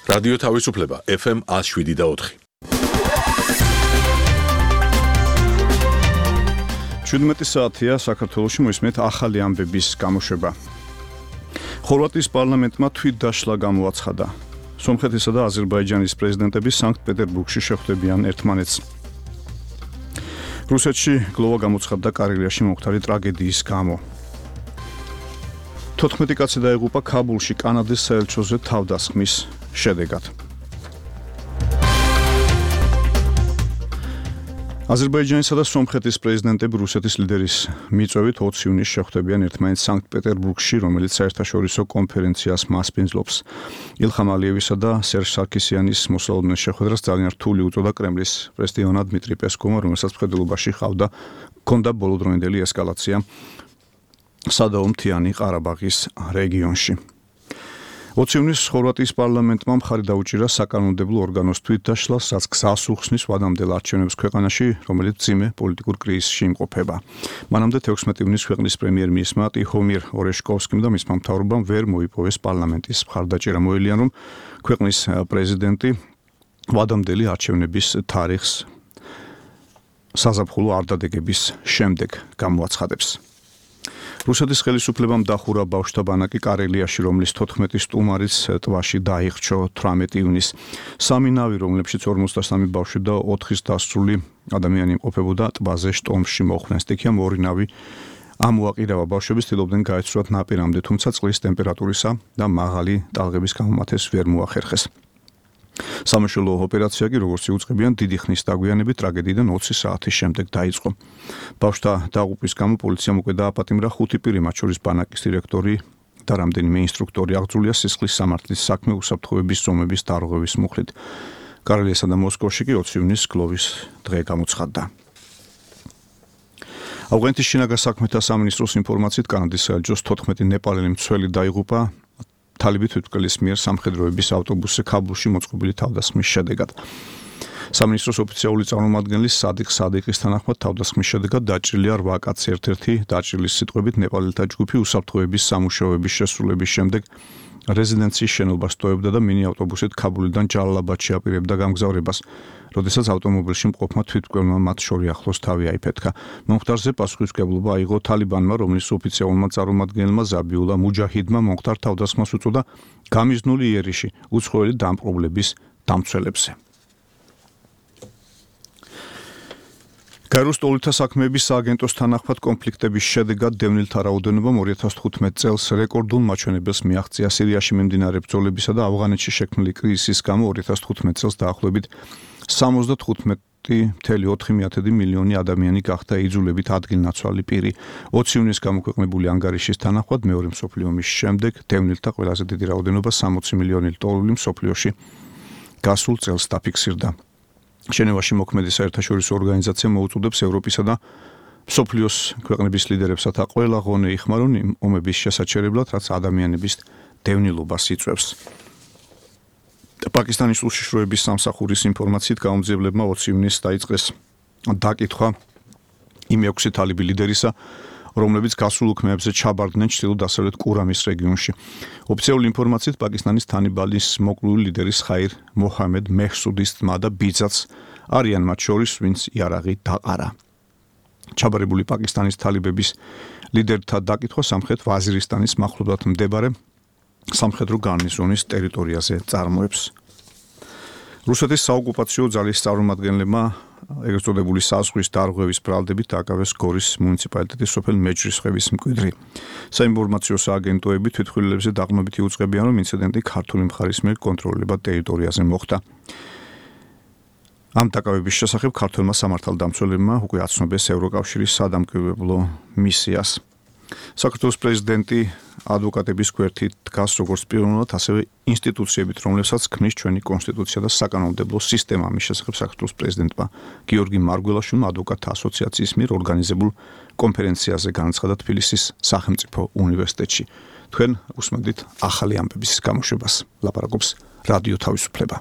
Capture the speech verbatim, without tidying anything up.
რადიო თავისუფლება ეფ ემ one oh seven და four. შვიდმეტი საათია საქართველოში მოისმენთ ახალი ამბების გამოშვება. ხორვატიის პარლამენტმა თვითდაშლა გამოაცხადა. სომხეთისა და აზერბაიჯანის პრეზიდენტები სანქტ-პეტერბურგში შეხვდებიან ერთმანეთს. რუსეთში გლოვა გამოცხადდა კარელიაში მომხდარი ტრაგედიის გამო. თოთხმეტი კაცი დაიღუპა ქაბულში კანადის საელჩოზე თავდასხმის შედეგად. აზერბაიჯანისა და სომხეთის პრეზიდენტები რუსეთის ლიდერის მიწვევით ოცი ივნისს შეხვდებიან ერთმანეთს სანქტ-პეტერბურგში, რომელიც საერთაშორისო კონფერენციას მასპინძლობს. ილხამ ალიევისა და სერჟ სარქისიანის მოსალოდნელ შეხვედრას ძალიან რთული უწოდა კრემლის პრესდიონა დმიტრი პესკოვმა, რომელსაც მხედველობაში ჰყავდა ჰქონდა ბოლოდროინდელი ესკალაცია სადაო მთიანი ყარაბაღის რეგიონში. ოცი ივნისს ხორვატიის პარლამენტმა მხარი დაუჭირა საკანონმდებლო ორგანოს თვითდაშლას, რაც გზას უხსნის ვადამდელ არჩევნებს ქვეყანაში, რომელიც მძიმე პოლიტიკურ კრიზისში იმყოფება. მანამდე თექვსმეტი ივნისს ქვეყნის პრემიერ-მინისტრმა ტიხომირ ორეშკოვსკიმ და მისმა მთავრობამ ვერ მოიპოვეს პარლამენტის მხარდაჭერა. მოელიან, რომ ქვეყნის პრეზიდენტი ვადამდელი არჩევნების თარიღს საზაფხულო არ დადეგების შემდეგ გამოაცხადებს. რუსეთის ხელისუფლებამ დახურა ბავშვთა ბანაკი კარელიაში, რომლის თოთხმეტი სტუმარიც ტბაში დაიხრჩო თვრამეტი ივნისს. სამი ნავი, რომლებშიც ორმოცდასამი ბავშვი და ოთხის დასრული ადამიანი იმყოფებოდა, ტბაზე შტორმში მოხვდნენ. სტიქიამ ორი ნავი ამოაყირავა. ბავშვები ცდილობდნენ გაეცურათ ნაპირამდე, თუმცა წყლის ტემპერატურისა და მაღალი ტალღების გამო მათ ეს ვერ მოახერხეს. სამაშველო ოპერაცია კი, როგორც იუწყებიან, დიდი ხნის დაგვიანებით ტრაგედიიდან ოცი საათის შემდეგ დაიწყო. ბავშვთა დაღუპვის გამო პოლიციამ უკვე დააპატიმრა ხუთი პირი, მათ შორის ბანაკის დირექტორი და რამდენიმე ინსტრუქტორი. აღძრულია სისხლის სამართლის საქმე უსაფრთხოების ზომების დარღვევის მუხლით. კარელიასა და მოსკოვში კი ოცი ივნისს გლოვის დღე გამოცხადდა. ავღანეთის შინაგან საქმეთა სამინისტროს ინფორმაციით, კანადის საელჩოს თოთხმეტი ნეპალელი მცველი დაიღუპა თალიბი თვითმკვლელის მიერ სამხედროების ავტობუსზე ქაბულში მოწყობილი თავდასხმის შედეგად. სამინისტროს ოფიციალური წარმომადგენელი სადიხ სადიყის თანახმად თავდასხმის შედეგად დაჭრილია რვა კაცი. ერთ-ერთი დაჭრილის სიტყვებით ნეპალელთა ჯგუფი უსაფრთხოების სამუშაოების შესრულების შემდეგ რეზიდენციის შენობას ტოვებდა და მინი ავტობუსით ქაბულიდან ჯალალაბადში აპირებდა გამგზავრებას, როდესაც ავტომობილში მყოფმა თვითმკვლელმა მათ შორი ახლოს თავი აიფეთქა. მომხდარზე პასუხისმგებლობა აიღო თალიბანმა, რომლის ოფიციალურმა წარმომადგენელმა ზაბიულა მუჯაჰიდმა მომხდარ თავდასხმას უწოდა გამიზნული იერიში უცხოელი დამპყრობლების დამცველებზე. გაეროს ტოლთა საქმეების სააგენტოს თანახმად კონფლიქტების შედეგად დევნილთა რაოდენობამ ორი ათას თხუთმეტ წელს რეკორდულ მაჩვენებელს მიაღწია. სირიაში მიმდინარე ბრძოლებისა და ავღანეთში შექმნილი კრიზისის გამო ორი ათას თხუთმეტ წელს დაახლოებით სამოცდათხუთმეტი ფاصლე ოთხი მილიონი ადამიანი გახდა იძულებით ადგილნაცვალი პირი. ოცი ივნისს გამოქვეყნებული ანგარიშის თანახმად მეორე მსოფლიო ომის შემდეგ დევნილთა ყველაზე დიდი რაოდენობა სამოცი მილიონი ლტოლვილი მსოფლიოში გასულ წელს დაფიქსირდა. ჟენევაში მოქმედი საერთაშორისო ორგანიზაცია მოუწოდებს ევროპისა და მსოფლიოს ქვეყნების ლიდერებსათა ყველა ღონე იხმარონ იმ ომების შესაჩერებლად, რაც ადამიანების დევნილობას იწვევს. პაკისტანის უშიშროების სამსახურის ინფორმაციით გაუმძიებლებმა ოცი ივნისს დაიწყეს დაკითხვა იმ ექვსი თალიბი ლიდერისა, რომლებიც გასულ უქმეებზე ჩაბარდნენ ჩრდილო-დასავლეთ კურამის რეგიონში. ოფიციალური ინფორმაციით პაკისტანის თანიბალის მოკლული ლიდერის ხაირ მოჰამედ მეჰსუდის ძმა და ბიძაც არიან მათ შორის, ვინც იარაღი დაყარა. ჩაბარებული პაკისტანის თალიბების ლიდერთა დაკითხვა სამხრეთ ვაზირისტანის მახლობლად მდებარე სამხედრო გარნიზონის ტერიტორიაზე წარმოებს. რუსეთის საოკუპაციო ძალის წარმომადგენლებმა ეგრეთ წოდებული საზღვის დარღვევის ბრალდებით დააკავეს გორის მუნიციპალიტეტის სოფელ მეჯრისხევის მკვიდრი. საინფორმაციო სააგენტოები თვითმხილველებზე დაყრდნობით იუწყებიან, რომ ინციდენტი ქართული მხარის მიერ კონტროლირებად ტერიტორიაზე მოხდა. ამ დაკავების შესახებ ქართველმა სამართალდამცველებმა უკვე აცნობეს ევროკავშირის სადამკვირვებლო მისიას. საქართველოს პრეზიდენტი ადვოკატების გვერდით დგას როგორც პიროვნულად, ასევე ინსტიტუციებით, რომლებსაც ქმნის ჩვენი კონსტიტუცია და საკანონმდებლო სისტემა. ამის შესახებ საქართველოს პრეზიდენტმა გიორგი მარგველაშვილმა ადვოკატთა ასოციაციის მიერ ორგანიზებულ კონფერენციაზე განაცხადა თბილისის სახელმწიფო უნივერსიტეტში. თქვენ უსმენთ ახალი ამბების გამოშვებას. ლაპარაკობს რადიო თავისუფლება.